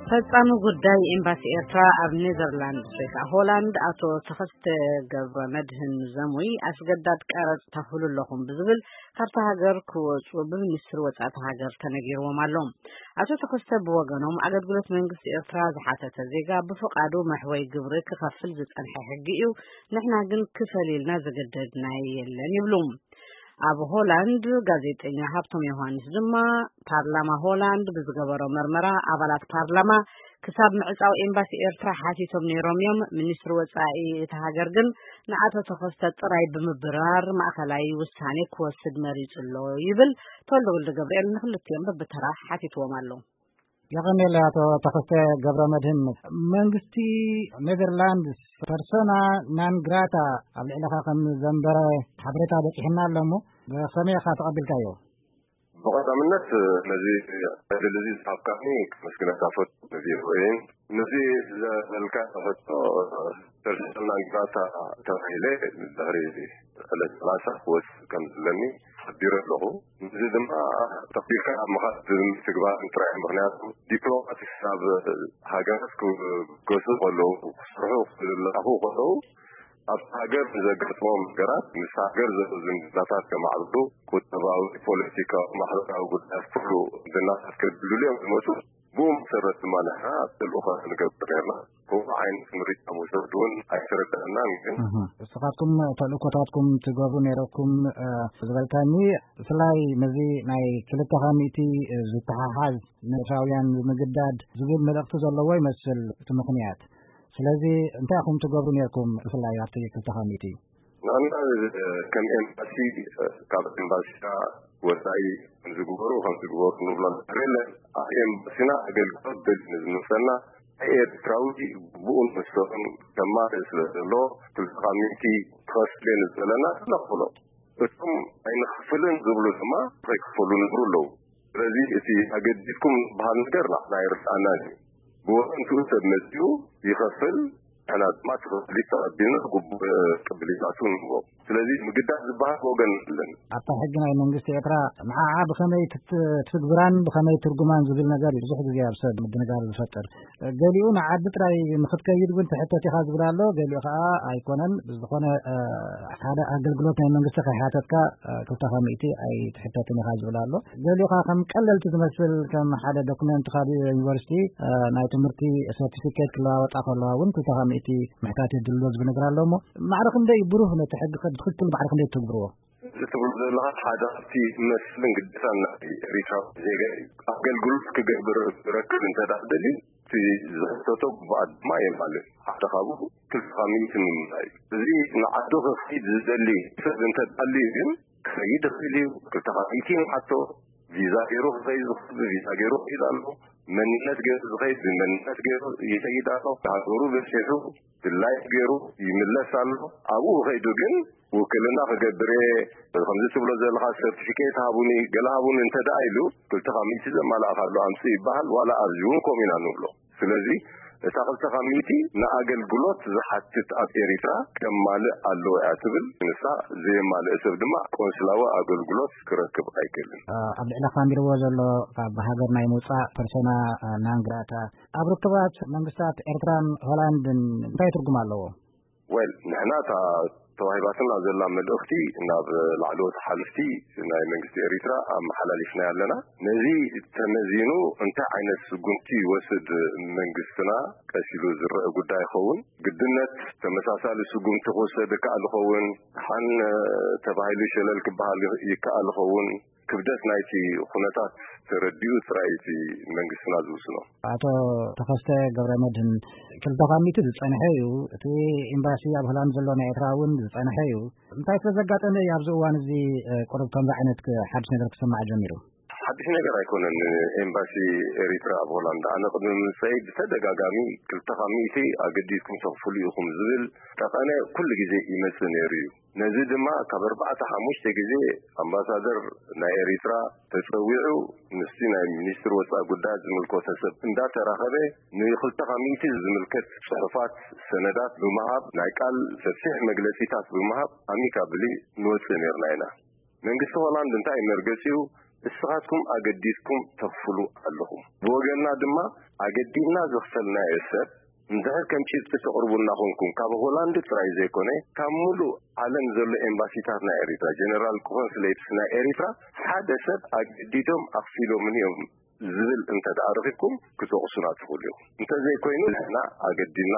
ፈጻሚ ጉዳይ ኤምባሲ ኤርትራ ኣብ ኔዘርላንድስ ወይ ከዓ ሆላንድ ኣቶ ተኸስተ ገብረ መድህን ዘሙይ ኣስገዳድ ቀረጽ ተኽፍሉ ኣለኹም ብዝብል ካብታ ሃገር ክወጹ ብሚኒስትሪ ወጻኢ እታ ሃገር ተነጊርዎም ኣሎ። ኣቶ ተኸስተ ብወገኖም ኣገልግሎት መንግስቲ ኤርትራ ዝሓተተ ዜጋ ብፍቓዱ መሕወይ ግብሪ ክኸፍል ዝጸንሐ ሕጊ እዩ፣ ንሕና ግን ክፈል ኢልና ዝገደድና የለን ይብሉ። ኣብ ሆላንድ ጋዜጠኛ ሃብቶም ዮሃንስ ድማ ፓርላማ ሆላንድ ብዝገበሮ መርመራ ኣባላት ፓርላማ ክሳብ ምዕጻው ኤምባሲ ኤርትራ ሓቲቶም ነይሮም እዮም። ሚኒስትሪ ወጻኢ እታ ሃገር ግን ንኣቶ ተኸስተ ጥራይ ብምብራር ማእኸላይ ውሳኔ ክወስድ መሪጹ ኣሎ ይብል። ተወልደ ወልደ ገብርኤል ንክልቲኦም በብተራ ሓቲትዎም ኣሎ። የቐኔለ ኣቶ ተኸስተ ገብረ መድህን። መንግስቲ ኔዘርላንድስ ፐርሶና ናን ግራታ ኣብ ልዕለኻ ከም ዘንበረ ሓበሬታ በፂሕና ኣሎ እሞ ብኸመይ ኢኻ ተቐቢልካዮ? ብቐዳምነት ነዚ ዕድል እዚ ዝሃብካኒ ከመስግነካ እፈቱ። ነዚ ርኡይን ነዚ ዝበልካ ሕቶ ፐርሶና ናን ግራታ ተባሂለ ድሕሪ ዕለት ሰላሳ ክወጽእ ከም ዘለኒ ሓቢረ ኣለኹ። እዚ ድማ ተኽቢርካ ኣብ ምኻድ ብምትግባር ጥራይ፣ ምኽንያቱ ዲፕሎማት ናብ ሃገራት ክገሱ ከለዉ፣ ክሰርሑ ክልኣኹ ከለዉ፣ ኣብቲ ሃገር ንዘጋጥሞም ነገራት፣ ምስ ሃገር ዘለዉ ዝምድናታት ከማዕብሉ፣ ቁጠባዊ፣ ፖለቲካዊ፣ ማሕበራዊ ጉዳያት ኩሉ ዝናታት ከድልድሉ እዮም ዝመጹ። ብኡ መሰረት ድማ ንሕና ተልእኾ ንገብር ነርና። ከምኡ ዓይነት ምርጫ መውሰድ እውን ኣይተረዳእናን። ግን እህ፣ ንስኻትኩም ተልእኮታትኩም ትገብሩ ነይረኩም፣ እ፣ ዝበልካኒ፣ ብፍላይ ነዚ ናይ ክልተ ካብ ሚእቲ ዝተሓሓዝ ንኤርትራውያን ምግዳድ ዝብል መልእኽቲ ዘለዎ ይመስል እቲ ምኽንያት። ስለዚ እንታይ ኢኹም ትገብሩ ነይርኩም ብፍላይ ኣብቲ ክልተ ካብ ሚእቲ? ንሕና ከም ኤምባሲ ካብ ኤምባሲና ወፃኢ ከምዚ ግበሩ ከምዚ ግበሩ ንብሎ ነገር የለን። ኣብ ኤምባሲና ኣገልግሎት ደልዩ ንዝመፀና ኤርትራዊ ግቡኡን መሰሉን ከማልእ ስለ ዘሎ ክልተ ካብ ሚእቲ ክኸፍል እየ ንዝበለና ንኽፍሎ። እቶም ኣይንኸፍልን ዝብሉ ድማ ከይከፈሉ ንብሩ ኣለዉ። ስለዚ እቲ ኣገዲድኩም ዝበሃል ነገር ንዓና ኣይርድኣናን እዩ። ብወገንትኡ ሰብ መጺኡ ይኸፍል፣ ንሕና ድማ እቲ ክፍሊት ተቐቢልና ግቡእ ቅብሊታቱ ንህቦ። ስለዚ ምግዳድ ዝበሃል ወገን የለን። ኣብታ ሕጊ ናይ መንግስቲ ኤርትራ ንዓዓ ብኸመይ ትት-፣ ትትግብራን ብኸመይ ትርጉማን ዝብል ነገር እዩ ብዙሕ ግዜ ኣብ ሰብ ምድንጋር ዝፈጥር። ገሊኡ ንዓዲ ጥራይ ንኽትከይድ እውን ትሕተት ኢኻ ዝብል ኣሎ፣ ገሊኡ ከዓ ኣይኮነን። ብዝኾነ፣ እ፣ ሓደ ኣገልግሎት ናይ መንግስቲ ከይሓተትካ፣ እ፣ ክልተ ካብ ሚእቲ ኣይትሕተትን ኢኻ ዝብል ኣሎ። ገሊኡ ከዓ ከም ቀለልቲ ዝመስል ከም ሓደ ዶክመንት ካብ ዩኒቨርሲቲ፣ እ፣ ናይ ትምህርቲ ሰርቲፊኬት ክለዋወጣ ከለዋ እውን ክልተ ካብ ሚእቲ ምሕታት የድልሎ ዝብል ነገር ኣሎ። እሞ ማዕረ ክንደይ ብሩህ ነቲ ሕጊ ብትኽክል ማዕረ ክንደይ ትግብርዎ? እዚ ትብሎ ዘለኻ ሓደ ካብቲ መስልን ግዴታን ናይ ኤሪትራዊ ዜጋ እዩ። ኣገልግሎት ክገብር ክረክብ እንተ ደኣ ደልዩ፣ እቲ ዝሕተቶ ግቡኣት ድማ የማልእ። ሓደ ካብኡ ክልተ ካብ ሚእቲ ምምላእ እዩ። እዚ ንዓዱ ክኸይድ ዝደሊ ሰብ እንተ ደኣ ኣልዩ ግን ክኸይድ ይኽእል እዩ። ክልተ ካብ ሚእቲ ንሓቶ ቪዛ ገይሩ ክኸይድ ዝኽእል ብቪዛ ገይሩ ይኸይድ ኣሎ። መንነት ገይሩ ዝኸይድ ብመንነት ገይሩ ይኸይድ ኣሎ። ሃገሩ በጺሑ ድላዩ ገይሩ ይምለስ ኣሎ። ኣብኡ ከይዱ ግን ውክልና ክገብር እየ፣ ከምዚ ትብሎ ዘለኻ ሰርቲፊኬት ሃቡኒ፣ ገለ ሃቡኒ እንተ ደኣ ኢሉ፣ ክልተ ካብ ሚእቲ ዘማልኣኻሉ ኣምጽእ ይበሃል። ዋላ ኣብዚ እውን ከምኡ ኢና ንብሎ። ስለዚ እታ ክልተ ካብ ሚእቲ ንኣገልግሎት ዝሓትት ኣብ ኤሪትራ ከማልእ ኣለዎ እያ ትብል። ንሳ ዘየማልእ ሰብ ድማ ቆንስላዊ ኣገልግሎት ክረክብ ኣይክእልን። ኣብ ልዕሊ ካሚርዎ ዘሎ ካብ ሃገር ናይ ምውጻእ ፐርሶና ናን ግራታ ኣብ ርክባት መንግስታት ኤርትራን ሆላንድን እንታይ ትርጉም ኣለዎ? ወል፣ ንሕና እታ ተዋሂባትና ዘላ መልእኽቲ ናብ ላዕለዎት ሓለፍቲ ናይ መንግስቲ ኤሪትራ ኣመሓላሊፍናያ ኣለና። ነዚ ተመዚኑ እንታይ ዓይነት ስጉምቲ ይወስድ መንግስትና ቀስ ኢሉ ዝረአ ጉዳይ ይኸውን። ግድነት ተመሳሳሊ ስጉምቲ ክውሰድ ይከኣል ይኸውን። ደሓን ተባሂሉ ሸለል ክበሃል ይከኣል ይኸውን። ክብደት ናይቲ ኩነታት ተረዲኡ ጥራይ እቲ መንግስትና ዝውስኖ። ኣቶ ተኸስተ ገብረ መድህን፣ ክልተ ካብ ሚእቲ ዝጸንሐ እዩ። እቲ ኤምባሲ ኣብ ሆላንድ ዘሎ ናይ ኤርትራ እውን ዝጸንሐ እዩ። እንታይ ስለ ዘጋጠመ እዩ ኣብዚ እዋን እዚ፣ እ፣ ቁሩብ ከምዚ ዓይነት ክ-፣ ሓድሽ ነገር ክስማዕ ጀሚሩ? ሓድሽ ነገር ኣይኮነን። ኤምባሲ ኤሪትራ ኣብ ሆላንድ ኣነ ቅድሚ ምምጸይ ብተደጋጋሚ ክልተ ካብ ሚእቲ ኣገዲድኩም ተኽፍሉ ኢኹም ዝብል ጠቐነ ኩሉ ግዜ ይመጽእ ነይሩ እዩ። ነዚ ድማ ካብ ኣርባዕተ ሓሙሽተ ግዜ ኣምባሳደር ናይ ኤሪትራ ተጸዊዑ ምስቲ ናይ ሚኒስትሪ ወጻኢ ጉዳያት ዝምልከቶ ሰብ እንዳተራኸበ ንክልተ ካብ ሚእቲ ዝምልከት ጽሑፋት፣ ሰነዳት ብምሃብ ናይ ቃል ሰፊሕ መግለጺታት ብምሃብ ኣሚካብሊ ንወጽእ ነይርና ኢና። መንግስቲ ሆላንድ እንታይ መርገጺኡ እስኻትኩም ኣገዲድኩም ተኽፍሉ ኣለኹም። ብወገንና ድማ ኣገዲድና ዘኽፈልናዮ ሰብ እንድሕር ከም ጭብጢ ተቕርቡልና ኮንኩም፣ ካብ ሆላንድ ጥራይ ዘይኮነ፣ ካብ ምሉእ ዓለም ዘሎ ኤምባሲታት ናይ ኤሪትራ፣ ጀነራል ኮንስሌትስ ናይ ኤሪትራ ሓደ ሰብ ኣገዲዶም ኣኽፊሎምን እዮም ዝብል እንተ ደኣ ረኺብኩም ክትወቕሱና ትኽእሉ ኢኹም። እንተ ዘይኮይኑ ንሕና ኣገዲድና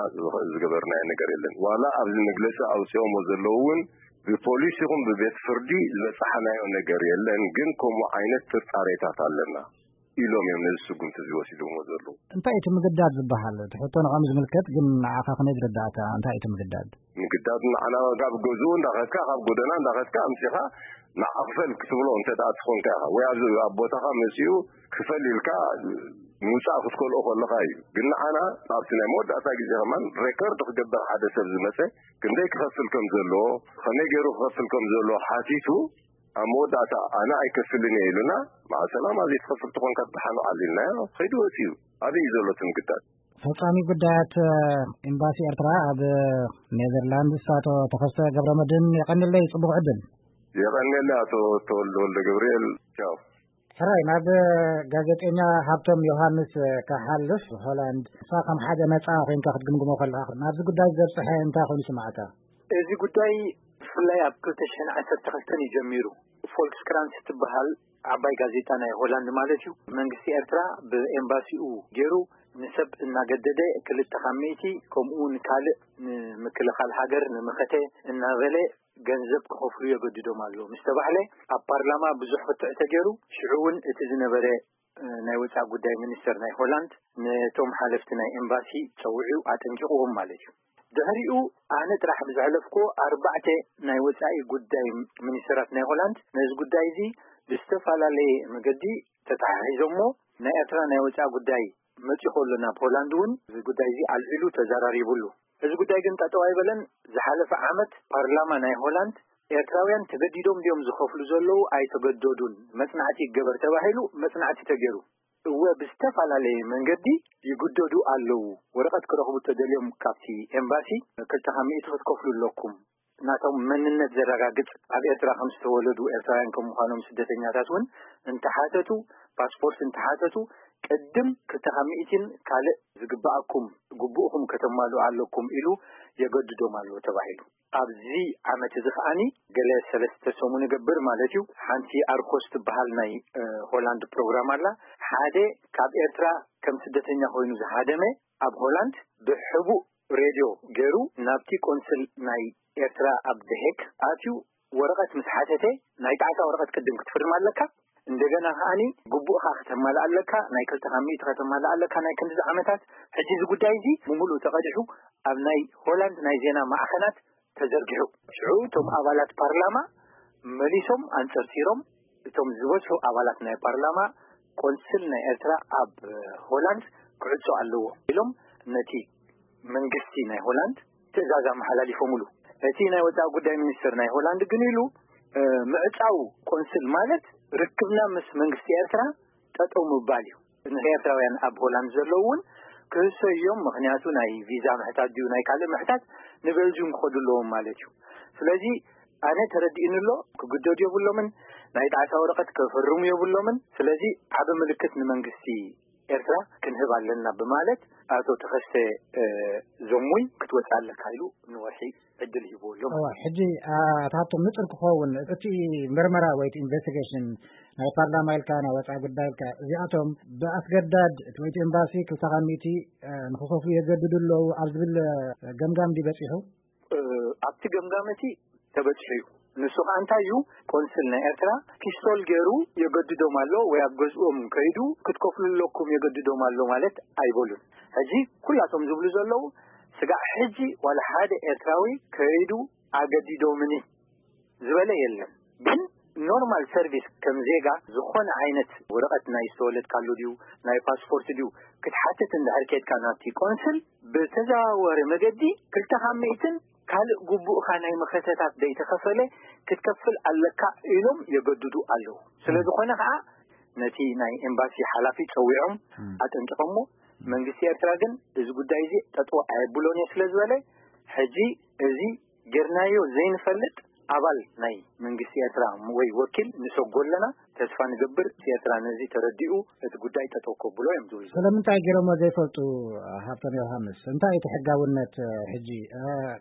ዝገበርናዮ ነገር የለን። ዋላ ኣብዚ መግለጺ ኣውጺኦሞ ዘለዉ እውን ብፖሊስ ይኹን ብቤት ፍርዲ ዝበጻሕናዮ ነገር የለን። ግን ከምኡ ዓይነት ጥርጣሬታት ኣለና ኢሎም እዮም ነዚ ስጉምቲ እዚ ወሲዶሞ ዘለዉ። እንታይ እቲ ምግዳድ ዝበሃል? እቲ ሕቶ ንዕኦም ዝምልከት፣ ግን ንዓኻ ከመይ ዝረዳእካ? እንታይ እቲ ምግዳድ? ምግዳድ ንዓና ካብ ገዝኡ እንዳኸድካ፣ ካብ ጎደና እንዳኸድካ ኣምጺኻ ንዓኽፈል ክትብሎ እንተ ደኣ ትኾንካ ኢኻ፣ ወይ ኣብዚ ኣብ ቦታኻ መጺኡ ክፈል ኢልካ ምውጻእ ክትከልኦ ከለኻ እዩ። ግን ንዓና ኣብቲ ናይ መወዳእታ ግዜ ከማን ሬከርድ ክገብር ሓደ ሰብ ዝመጸ ክንደይ ክኸፍል ከም ዘለዎ፣ ከመይ ገይሩ ክኸፍል ከም ዘለዎ ሓቲቱ፣ ኣብ መወዳእታ ኣነ ኣይከፍልን እየ ኢሉና፣ መዓ ሰላማ ዘይትኸፍል ተኾንካ ደሓን ውዓል ኢልናዮ፣ ከይዱ ወጺኡ። ኣበይ እዩ ዘሎ እቲ ምግዳድ? ፈጻሚ ጉዳያት ኤምባሲ ኤርትራ ኣብ ኔዘርላንድስ ኣቶ ተኸስተ ገብረመድህን፣ የቐንለይ፣ ጽቡቕ ዕድል። የቐንየለይ ኣቶ ተወልደ ወልደ ገብርኤል። ቻው። ሕራይ፣ ናብ ጋዜጠኛ ሃብቶም ዮሃንስ ክሓልፍ፣ ሆላንድ፣ ንስኻ ከም ሓደ ነጻ ኮይንካ ክትግምግሞ ከለኻ፣ ናብዚ ጉዳይ ዘብጽሐ እንታይ ኮይኑ ይስምዓካ? እዚ ጉዳይ ብፍላይ ኣብ ክልተ ሽሕን ዓሰርተ ክልተን እዩ ጀሚሩ። ፎልክስክራንስ እትበሃል ዓባይ ጋዜጣ ናይ ሆላንድ ማለት እዩ፣ መንግስቲ ኤርትራ ብኤምባሲኡ ገይሩ ንሰብ እናገደደ ክልተ ካብ ሚእቲ፣ ከምኡ እውን ካልእ ንምክልኻል ሃገር፣ ንመኸተ እናበለ ገንዘብ ክኸፍሉ የገድዶም ኣሎ ምስ ተባህለ፣ ኣብ ፓርላማ ብዙሕ ክትዕ ተገይሩ። ሽዑ እውን እቲ ዝነበረ፣ እ፣ ናይ ወጻኢ ጉዳይ ሚኒስተር ናይ ሆላንድ ነቶም ሓለፍቲ ናይ ኤምባሲ ጸዊዑ ኣጠንቂቕዎም ማለት እዩ። ድሕሪኡ ኣነ ጥራሕ ብዘሕለፍኩዎ ኣርባዕተ ናይ ወጻኢ ጉዳይ ሚኒስተራት ናይ ሆላንድ ነዚ ጉዳይ እዚ ብዝተፈላለየ መገዲ ተተሓሒዞሞ፣ ናይ ኤርትራ ናይ ወጻኢ ጉዳይ መጺኡ ከሎ ናብ ሆላንድ እውን እዚ ጉዳይ እዚ ኣልዒሉ ተዘራሪቡሉ። እዚ ጉዳይ ግን ጠጠው ኣይበለን። ዝሓለፈ ዓመት ፓርላማ ናይ ሆላንድ ኤርትራውያን ተገዲዶም ድዮም ዝኸፍሉ ዘለዉ? ኣይተገደዱን፣ መጽናዕቲ ይገበር ተባሂሉ መጽናዕቲ ተገይሩ። እወ፣ ብዝተፈላለየ መንገዲ ይግደዱ ኣለዉ። ወረቐት ክረኽቡ ተደልዮም ካብቲ ኤምባሲ ክልተ ካብ ሚእቲ ክትከፍሉ ኣለኩም። ናቶም መንነት ዘረጋግጽ፣ ኣብ ኤርትራ ከም ዝተወለዱ ኤርትራውያን ከም ምዃኖም ስደተኛታት እውን እንተሓተቱ፣ ፓስፖርት እንተሓተቱ፣ ቅድም ክልተ ካብ ሚእቲን ካልእ ዝግበኣኩም ግቡእኹም ከተማልኡ ኣለኩም ኢሉ የገድዶም ኣሎ ተባሂሉ። ኣብዚ ዓመት እዚ ከኣኒ ገለ ሰለስተ ሰሙን ይገብር ማለት እዩ፣ ሓንቲ ኣርኮስ ትበሃል ናይ፣ እ፣ ሆላንድ ፕሮግራም ኣላ። ሓደ ካብ ኤርትራ ከም ስደተኛ ኮይኑ ዝሃደመ ኣብ ሆላንድ ብሕቡእ ሬድዮ ገይሩ ናብቲ ቆንስል ናይ ኤርትራ ኣብ ደሄግ ኣትዩ ወረቐት ምስ ሓተተ፣ ናይ ጣዕሳ ወረቐት ቅድም ክትፍርም ኣለካ። እንደገና ከኣኒ ግቡእኻ ከተማልእ ኣለካ፣ ናይ ክልተ ካብ ሚእቲ ከተማልእ ኣለካ፣ ናይ ክንድዚ ዓመታት። ሕጂ እዚ ጉዳይ እዚ ብምሉእ ተቐዲሑ ኣብ ናይ ሆላንድ ናይ ዜና ማዕኸናት ተዘርጊሑ። ሽዑ እቶም ኣባላት ፓርላማ መሊሶም ኣንጸርጺሮም፣ እቶም ዝበዝሑ ኣባላት ናይ ፓርላማ ቆንስል ናይ ኤርትራ ኣብ ሆላንድ ክዕጾ ኣለዎ ኢሎም ነቲ መንግስቲ ናይ ሆላንድ ትእዛዝ ኣመሓላሊፎምሉ። እቲ ናይ ወጻኢ ጉዳይ ሚኒስትር ናይ ሆላንድ ግን ኢሉ፣ እ፣ ምዕጻው ቆንስል ማለት ርክብና ምስ መንግስቲ ኤርትራ ጠጠው ምባል እዩ። ንኤርትራውያን ኣብ ሆላንድ ዘለዉ እውን ክህሰዩ እዮም። ምኽንያቱ ናይ ቪዛ ምሕታት ድዩ ናይ ካልእ ምሕታት ንቤልጅዩም ክኸዱ ኣለዎም ማለት እዩ። ስለዚ ኣነ ተረዲእኒ ኣሎ፣ ክግደዱ የብሎምን፣ ናይ ጣዕሳ ወረቐት ከፈርሙ የብሎምን። ስለዚ ዓቢ ምልክት ንመንግስቲ ኤርትራ ክንህብ ኣለና ብማለት ኣቶ ተኸስተ፣ እ፣ ዘሙይ ክትወጽእ ኣለካ ኢሉ ንወርሒ ዕድል ሂብዎ ኣሎ። እዋ፣ ሕጂ፣ አ፣ ኣቶ ሃብቶም ንጹር ክኸውን እቲ ምርመራ ወይ እቲ ኢንቨስቲጌሽን ናይ ፓርላማ ኢልካ ናይ ወጻኢ ጉዳይ ኢልካ እዚኣቶም ብኣስገዳድ እቲ ወይ እቲ ኤምባሲ ክልተ ካብ ሚእቲ፣ እ፣ ንክኸፍሉ የገድዱ ኣለዉ ኣብ ዝብል፣ እ፣ ገምጋም ድዩ በጺሑ? እ፣ ኣብቲ ገምጋም እቲ ተበጺሑ እዩ። ንሱ ከኣ እንታይ እዩ? ቆንስል ናይ ኤርትራ ፒስቶል ገይሩ የገድዶም ኣሎ ወይ ኣብ ገዝኦም ከይዱ ክትከፍሉ ኣለኩም የገድዶም ኣሎ ማለት ኣይበሉን። ሕጂ ኩላቶም ዝብሉ ዘለዉ ስጋዕ ሕጂ ዋላ ሓደ ኤርትራዊ ከይዱ ኣገዲዶምኒ ዝበለ የለን። ግን ኖርማል ሰርቪስ ከም ዜጋ ዝኾነ ዓይነት ወረቐት ናይ ዝተወለድካሉ ድዩ ናይ ፓስፖርት ድዩ ክትሓትት እንድሕር ኬድካ ናብቲ ቆንስል ብተዘዋወሪ መገዲ ክልተ ካብ ሚእትን ካልእ ግቡእካ ናይ መኸተታት ዘይተኸፈለ ክትከፍል ኣለካ ኢሎም የገድዱ ኣለዉ። ስለ ዝኾነ ከዓ ነቲ ናይ ኤምባሲ ሓላፊ ጸዊዖም እም። ኣጠንቂቖሞ፣ መንግስቲ ኤርትራ ግን እዚ ጉዳይ እዚ ጠጠው ኣየብሎን እየ ስለ ዝበለ፣ ሕጂ እዚ ጌርናዮ ዘይንፈልጥ ኣባል ናይ መንግስቲ ኤርትራ ወይ ወኪል ንሰጎ ኣለና፣ ተስፋ ንገብር፣ ኤርትራ ነዚ ተረዲኡ እቲ ጉዳይ ጠጠው ከብሎ እዮም ዝብሉ። ስለምንታይ ገይሮሞ ዘይፈልጡ? ሃብቶም ዮሃንስ፣ እንታይ እቲ ሕጋውነት? ሕጂ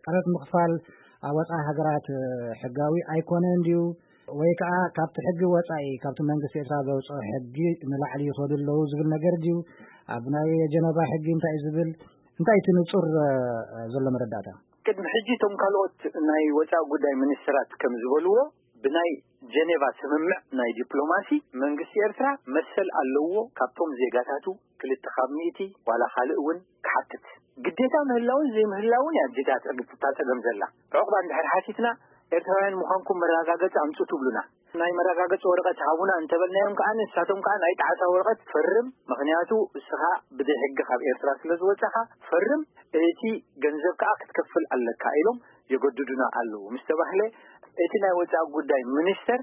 ቀረጥ ምኽፋል ኣብ ወፃኢ ሃገራት ሕጋዊ ኣይኮነን ድዩ? ወይ ከዓ ካብቲ ሕጊ ወፃኢ፣ ካብቲ መንግስቲ ኤርትራ ዘውፅኦ ሕጊ ንላዕሊ ይኸዱ ኣለዉ ዝብል ነገር ድዩ? ኣብ ናይ ጀነቫ ሕጊ እንታይ እዩ ዝብል? እንታይ እቲ ንፁር ዘሎ መረዳእታ? ቅድሚ ሕጂ እቶም ካልኦት ናይ ወፃኢ ጉዳይ ሚኒስትራት ከም ዝበልዎ፣ ብናይ ጀኔቫ ስምምዕ ናይ ዲፕሎማሲ መንግስቲ ኤርትራ መሰል ኣለዎ ካብቶም ዜጋታቱ ክልተ ካብ ሚእቲ ዋላ ካልእ እውን ክሓትት። ግዴታ ምህላውን ዘይምህላውን እያ እጅታ እታ ጸገም ዘላ። ዕቑባ እንድሕር ሓቲትና፣ ኤርትራውያን ምዃንኩም መረጋገጺ ኣምጹ ትብሉና። ናይ መረጋገጺ ወረቐት ሃቡና እንተበልናዮም ከኣ፣ ንሳቶም ከኣ ናይ ጣዕሳ ወረቐት ፈርም፣ ምኽንያቱ እስኻ ብዘይ ሕጊ ካብ ኤርትራ ስለ ዝወጻኻ ፈርም፣ እቲ ገንዘብ ከኣ ክትከፍል ኣለካ ኢሎም የገድዱና ኣለዉ ምስ ተባህለ፣ እቲ ናይ ወጻኢ ጉዳይ ሚኒስተር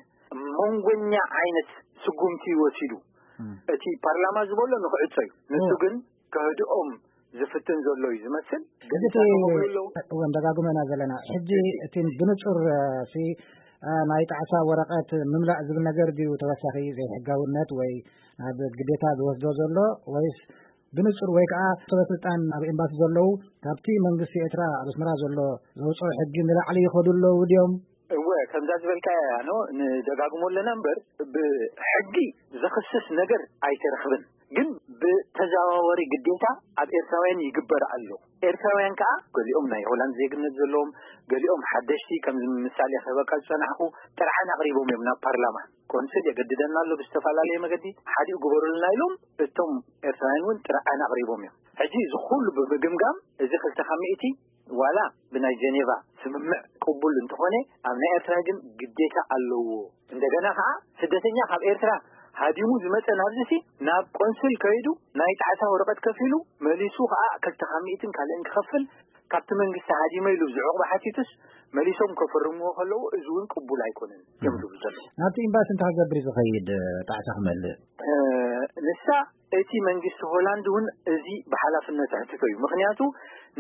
መንጎኛ ዓይነት ስጉምቲ ወሲዱ። እቲ ፓርላማ ዝበሎ ንክዕጾ እዩ። ንሱ ግን ከህድኦም ዝፍትን ዘሎ እዩ ዝመስል። ግን ሕጂ እቲ እሳቶም ይብሉ ኣለዉ። እውን ደጋግመና ዘለና ሕጂ እቲ ብንጹር፣ እ፣ ሲ፣ እ፣ ናይ ጣዕሳ ወረቐት ምምላእ ዝብል ነገር ድዩ ተወሳኺ ዘይሕጋውነት ወይ ናብ ግዴታ ዝወስዶ ዘሎ፣ ወይስ ብንጹር ወይ ከዓ ሰበ ስልጣን ኣብ ኤምባሲ ዘለዉ ካብቲ መንግስቲ ኤርትራ ኣብ ኣስመራ ዘሎ ዘውፅኦ ሕጊ ንላዕሊ ይኸዱ ኣለዉ ድዮም? እወ፣ ከምዛ ዝበልካያ ያኖ ንደጋግሞ ኣለና እምበር፣ ብሕጊ ዘኽስስ ነገር ኣይተረኽብን። ግን ብተዘዋዋሪ ግዴታ ኣብ ኤርትራውያን ይግበር ኣሎ። ኤርትራውያን ከኣ ገሊኦም ናይ ሆላንድ ዜግነት ዘለዎም፣ ገሊኦም ሓደሽቲ፣ ከም ምሳሌ ክህበካ ዝጸናሕኩ፣ ጥርዓን ኣቕሪቦም እዮም ናብ ፓርላማ። ቆንስል የገድደና ኣሎ ብዝተፈላለየ መገዲ፣ ሓዲኡ ግበሩልና ኢሎም፣ እቶም ኤርትራውያን እውን ጥርዓን ኣቕሪቦም እዮም። ሕጂ እዚ ኩሉ ብምግምጋም፣ እዚ ክልተ ካብ ሚእቲ ዋላ ብናይ ጀኔቫ ስምምዕ ቅቡል እንተኾነ፣ ኣብ ናይ ኤርትራ ግን ግዴታ ኣለዎ። እንደገና ከኣ ስደተኛ ካብ ኤርትራ ሃዲሙ ዝመጸ ናብዚሲ ናብ ቆንስል ከይዱ ናይ ጣዕሳ ወረቐት ከፊሉ መሊሱ ከኣ ክልተ ካብ ሚእትን ካልእን ክኸፍል፣ ካብቲ መንግስቲ ሃዲመ ኢሉ ዝዕቕባ ሓቲቱስ መሊሶም ከፈርምዎ ከለዉ፣ እዚ እውን ቅቡል ኣይኮነን እዮም ዝብሉ ዘለዉ። ናብቲ ኤምባሲ እንታይ ክገብር እዩ ዝኸይድ፣ ጣዕሳ ክመልእ? እ፣ ንሳ እቲ መንግስቲ ሆላንድ እውን እዚ ብሓላፍነት ኣሕትቶ እዩ። ምኽንያቱ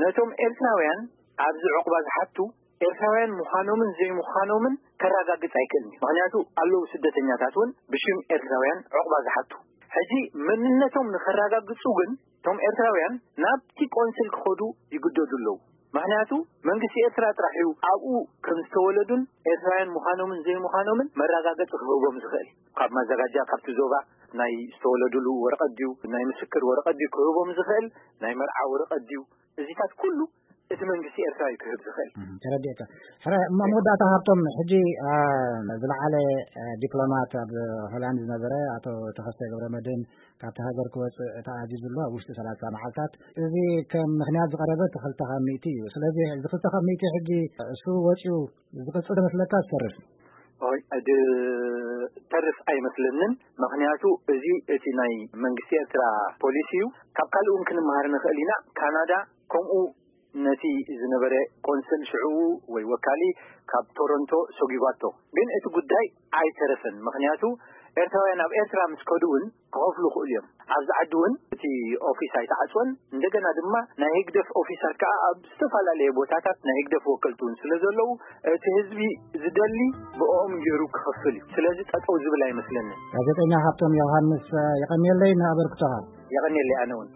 ነቶም ኤርትራውያን ኣብዚ ዕቑባ ዝሓቱ ኤርትራውያን ምዃኖምን ዘይምዃኖምን ከረጋግጽ ኣይክእልን እዩ። ምኽንያቱ ኣለዉ ስደተኛታት እውን ብሽም ኤርትራውያን ዕቑባ ዝሓቱ። ሕጂ መንነቶም ንኸረጋግጹ ግን እቶም ኤርትራውያን ናብቲ ቆንስል ክኸዱ ይግደዱ ኣለዉ። ምኽንያቱ መንግስቲ ኤርትራ ጥራሕ እዩ ኣብኡ ከም ዝተወለዱን ኤርትራውያን ምዃኖምን ዘይምዃኖምን መረጋገጺ ክህቦም ዝኽእል። ካብ ማዘጋጃ፣ ካብቲ ዞባ ናይ ዝተወለዱሉ ወረቐት ድዩ፣ ናይ ምስክር ወረቐት ድዩ ክህቦም ዝኽእል፣ ናይ መርዓ ወረቐት ድዩ፣ እዚታት ኩሉ እቲ መንግስቲ ኤርትራ እዩ ክህብ ዝኽእል። እም፣ ተረዲእካ። ሕረ፣ እሞ መወዳእታ ሃብቶም፣ ሕጂ፣ አ፣ ዝለዓለ፣ አ፣ ዲፕሎማት ኣብ ሆላንድ ዝነበረ ኣቶ ተኸስተ ገብረመድህን ካብቲ ሃገር ክወጽእ ተኣዚዙ ኣሎ ኣብ ውሽጢ ሰላሳ መዓልታት። እዚ ከም ምኽንያት ዝቐረበ እቲ ክልተ ካብ ሚእቲ እዩ። ስለዚ እዚ ክልተ ካብ ሚእቲ ሕጂ እሱ ወጺኡ ዝቕጽል ትመስለካ ዝተርፍ? ኦይ፣ እድ-፣ ተርፍ ኣይመስለንን። ምኽንያቱ እዚ እቲ ናይ መንግስቲ ኤርትራ ፖሊሲ እዩ። ካብ ካልእ እውን ክንመሃር ንኽእል ኢና። ካናዳ ከምኡ ነቲ ዝነበረ ቆንስል ሽዑ ወይ ወካሊ ካብ ቶሮንቶ ሰጒጓቶ። ግን እቲ ጉዳይ ኣይተረፈን። ምኽንያቱ ኤርትራውያን ኣብ ኤርትራ ምስ ከዱ እውን ክኸፍሉ ይኽእሉ እዮም። ኣብዚ ዓዲ እውን እቲ ኦፊስ ኣይተዓጽወን። እንደገና ድማ ናይ ህግደፍ ኦፊሳት ከኣ ኣብ ዝተፈላለየ ቦታታት ናይ ህግደፍ ወከልቲ እውን ስለ ዘለዉ፣ እቲ ህዝቢ ዝደሊ ብኦም ገይሩ ክኸፍል እዩ። ስለዚ ጠጠው ዝብል ኣይመስለንን። ጋዜጠኛ ሃብቶም ዮሃንስ፣ የቐንየለይ ንኣበርክቶኻ። የቐንየለይ ኣነ እውን።